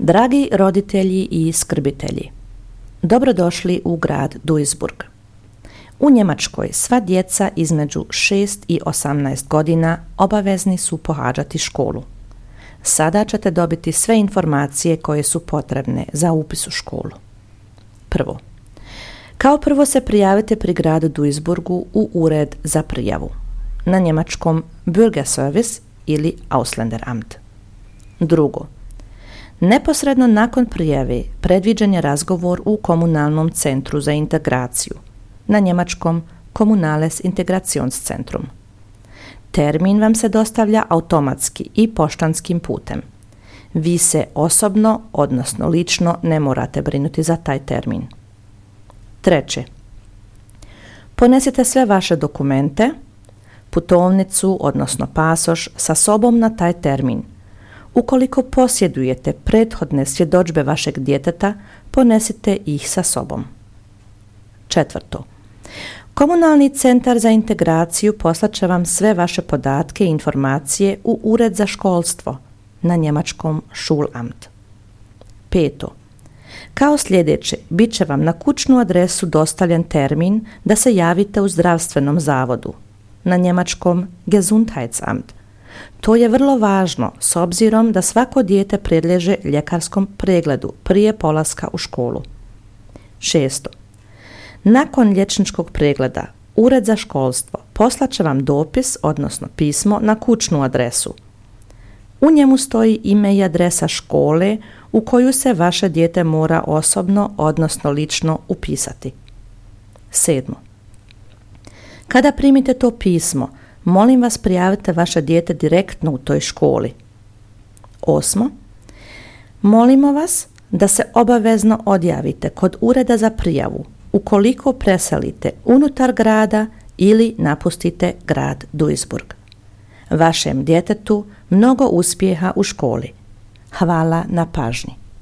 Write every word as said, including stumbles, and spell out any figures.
Dragi roditelji i skrbitelji, dobrodošli u grad Duisburg. U Njemačkoj sva djeca između šest i osamnaest godina obavezni su pohađati školu. Sada ćete dobiti sve informacije koje su potrebne za upis u školu. Prvo. Kao prvo se prijavite pri gradu Duisburgu u ured za prijavu, na njemačkom Bürgerservice ili Ausländeramt. Drugo. Neposredno nakon prijave predviđen je razgovor u komunalnom centru za integraciju, na njemačkom Kommunales Integrationszentrum. Termin vam se dostavlja automatski i poštanskim putem. Vi se osobno, odnosno lično, ne morate brinuti za taj termin. Treće. Ponesite sve vaše dokumente, putovnicu, odnosno pasoš, sa sobom na taj termin. Ukoliko posjedujete prethodne svjedodžbe vašeg djeteta, ponesite ih sa sobom. Četvrto. Komunalni centar za integraciju poslat će vam sve vaše podatke i informacije u ured za školstvo, na njemačkom Schulamt. Peto. Kao sljedeće, bit će vam na kućnu adresu dostavljen termin da se javite u zdravstvenom zavodu, na njemačkom Gesundheitsamt. To je vrlo važno s obzirom da svako dijete predliježe ljekarskom pregledu prije polaska u školu. Šesto. Nakon liječničkog pregleda, Ured za školstvo poslat će vam dopis, odnosno pismo, na kućnu adresu. U njemu stoji ime i adresa škole u koju se vaše dijete mora osobno, odnosno lično upisati. Sedmo. Kada primite to pismo, molim vas prijavite vaše dijete direktno u toj školi. Osmo. Molimo vas da se obavezno odjavite kod ureda za prijavu ukoliko preselite unutar grada ili napustite grad Duisburg. Vašem djetetu mnogo uspjeha u školi. Hvala na pažnji.